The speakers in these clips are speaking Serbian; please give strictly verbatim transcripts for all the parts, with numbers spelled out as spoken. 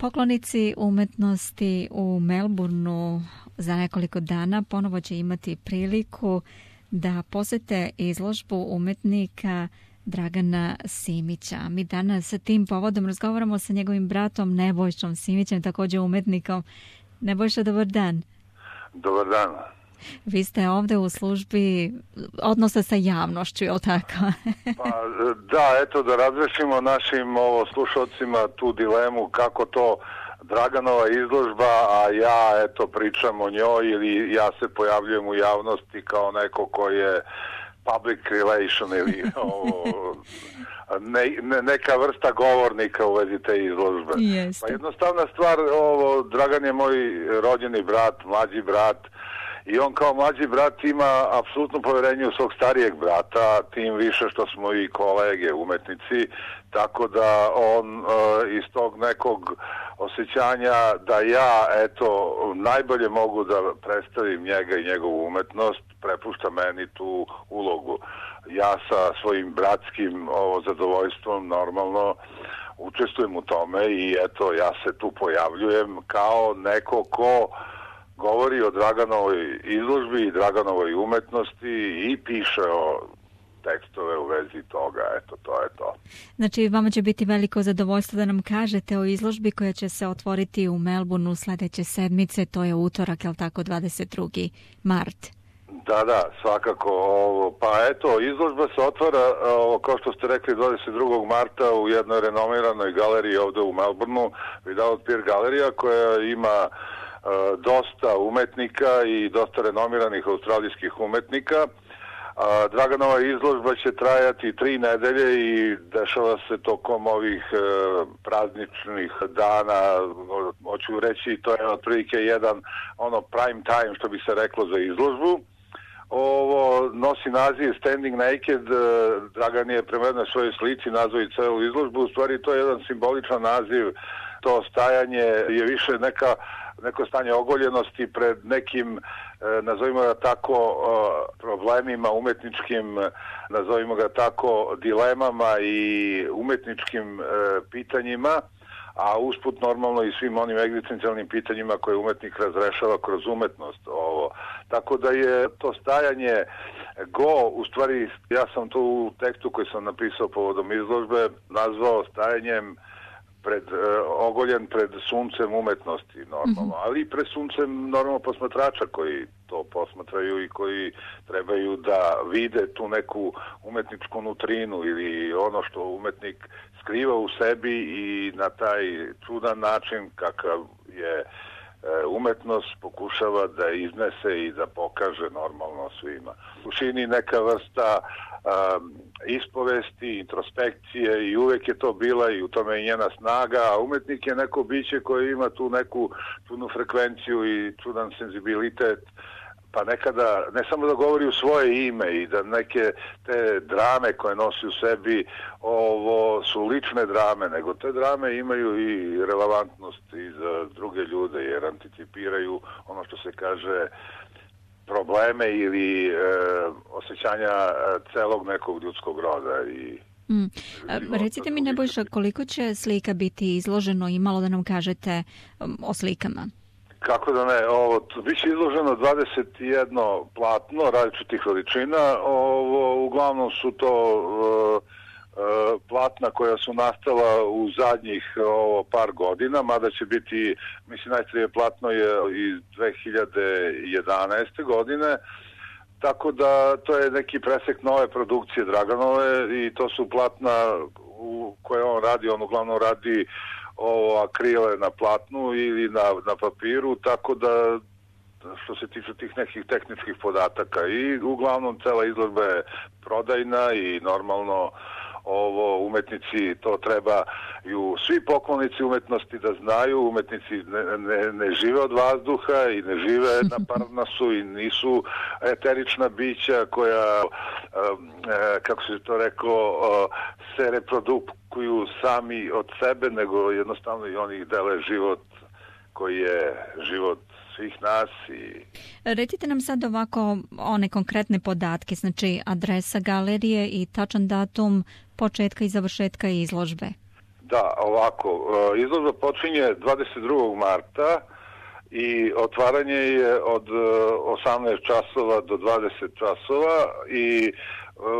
Poklonici umetnosti u Melbourneu za nekoliko dana ponovo će imati priliku da posete izložbu umetnika Dragana Simića. Mi danas sa tim povodom razgovaramo sa njegovim bratom Nebojšom Simićem, također umetnikom. Nebojša, dobar dan. Dobar dan. Vi ste ovdje u službi odnosa sa javnošću, je li tako? Pa, da, eto da razrešimo našim ovo, slušalcima tu dilemu kako to Draganova izložba, a ja eto pričam o njoj ili ja se pojavljujem u javnosti kao neko ko je public relation ili ovo, ne, ne, neka vrsta govornika u vezi te izložbe. Jeste. Pa jednostavna stvar, ovo, Dragan je moj rođeni brat, mlađi brat, i on kao mlađi brat ima apsolutno povjerenje u svog starijeg brata, tim više što smo i kolege umetnici, tako da on uh, iz tog nekog osjećanja da ja eto najbolje mogu da predstavim njega i njegovu umetnost, prepušta meni tu ulogu. Ja sa svojim bratskim ovo, zadovoljstvom normalno učestvujem u tome i eto ja se tu pojavljujem kao neko ko govori o Draganovoj izložbi i Draganovoj umetnosti i piše o tekstove u vezi toga, eto, to je to. Znači, vama će biti veliko zadovoljstvo da nam kažete o izložbi koja će se otvoriti u Melbourneu sljedeće sedmice, to je utorak, je li tako, dvadeset drugi mart? Da, da, svakako. Ovo, pa eto, izložba se otvara, ovo, kao što ste rekli, dvadeset drugog marta u jednoj renomiranoj galeriji ovdje u Melbourneu, Vidal Pier galerija, koja ima Uh, dosta umetnika i dosta renomiranih australijskih umetnika. Uh, Draganova izložba će trajati tri nedelje i dešava se tokom ovih uh, prazničnih dana, hoću reći, to je otprilike jedan ono prime time, što bi se reklo, za izložbu. Ovo nosi naziv Standing Naked, uh, Dragan je prema jednoj svojoj slici nazvao i celu izložbu, u stvari to je jedan simboličan naziv, to stajanje je više neka neko stanje ogoljenosti pred nekim, nazovimo ga tako, problemima umetničkim, nazovimo ga tako, dilemama i umetničkim pitanjima, a usput normalno i svim onim egzistencijalnim pitanjima koje umetnik razrešava kroz umetnost. Ovo. Tako da je to stajanje go, u stvari ja sam to u tekstu koji sam napisao povodom izložbe nazvao stajanjem pred, uh, ogoljen pred suncem umetnosti normalno, mm-hmm. ali i pred suncem normalno posmatrača koji to posmatraju i koji trebaju da vide tu neku umetničku nutrinu ili ono što umetnik skriva u sebi i na taj čudan način kakav je umetnost pokušava da iznese i da pokaže normalno svima. U suštini neka vrsta um, ispovesti, introspekcije i uvek je to bila i u tome je njena snaga, a umetnik je neko biće koje ima tu neku čudnu frekvenciju i čudan senzibilitet, pa nekada ne samo da govori u svoje ime i da neke te drame koje nosi u sebi ovo su lične drame, nego te drame imaju i relevantnost i za druge ljude jer anticipiraju ono što se kaže probleme ili e, osjećanja celog nekog ljudskog roda. I mm. Recite mi, Nebojša, koliko će slika biti izloženo i malo da nam kažete um, o slikama? Kako da ne, ovo, bit će izloženo dvadeset jedno platno različitih veličina, ovo, uglavnom su to uh, uh, platna koja su nastala u zadnjih ovo, par godina, mada će biti, mislim, najstarije platno je iz dve hiljade jedanaeste godine, tako da to je neki presek nove produkcije Draganove i to su platna u koje on radi, on uglavnom radi ovo akrile na platnu ili na, na papiru, tako da što se tiče tih nekih tehničkih podataka i uglavnom cela izložba je prodajna i normalno ovo umetnici to trebaju svi poklonici umetnosti da znaju, umetnici ne, ne, ne žive od vazduha i ne žive na Parnasu i nisu eterična bića koja, kako se to reklo, se reprodukuju sami od sebe, nego jednostavno i oni dele život koji je život svih nas. I recite nam sad ovako one konkretne podatke, znači adresa galerije i tačan datum početka i završetka izložbe. Da, ovako, izložba počinje dvadeset drugog marta i otvaranje je od osamnaest časova do dvadeset časova i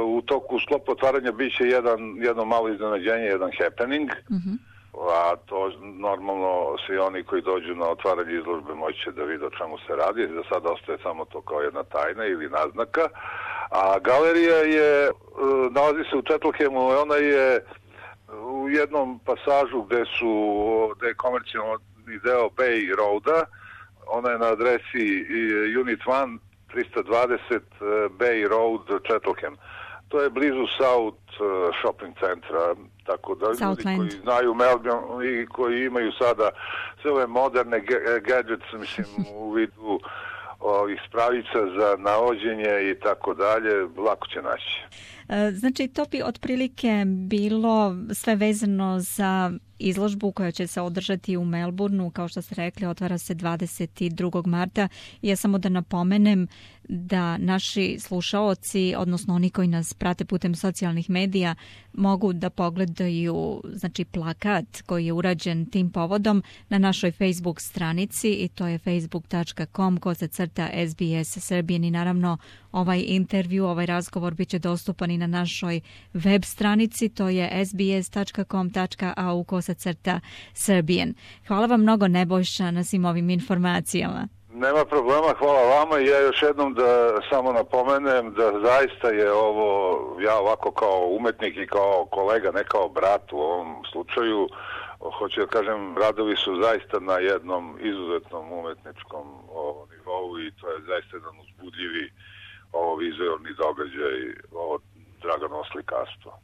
u toku sklopu otvaranja bit će jedan, jedno malo iznenađenje, jedan happening, mm-hmm. a to normalno svi oni koji dođu na otvaranje izložbe moći će da vide o čemu se radi, za sada ostaje samo to kao jedna tajna ili naznaka, a galerija je, nalazi se u Četlhemu, ona je u jednom pasažu gde su, gde je komercijalni deo Bay Roada, ona je na adresi Unit jedan trista dvadeset Bay Road, Četlhem. To je blizu South shopping centra, tako da Southland. Ljudi koji znaju Melbourne i koji imaju sada sve ove moderne gadgets, mislim, u vidu ovih spravica za navođenje i tako dalje, lako će naći. Znači, to bi otprilike bilo sve vezano za izložbu koja će se održati u Melbourneu, kao što ste rekli, otvara se dvadeset drugog marta. I ja samo da napomenem da naši slušaoci, odnosno oni koji nas prate putem socijalnih medija, mogu da pogledaju, znači, plakat koji je urađen tim povodom na našoj Facebook stranici i to je facebook tačka com kosa crta S B S Serbian i naravno ovaj intervju, ovaj razgovor bit će dostupan i na našoj web stranici, to je s b s tačka com tačka a u kosa crta Serbian. Hvala vam mnogo, Nebojša, na svim ovim informacijama. Nema problema, hvala vama i ja još jednom da samo napomenem da zaista je ovo, ja ovako kao umetnik i kao kolega, ne kao brat u ovom slučaju, hoću da kažem, radovi su zaista na jednom izuzetnom umetničkom ovo, nivou i to je zaista jedan uzbudljivi ovo vizualni događaj, ovo Draganovo slikarstvo.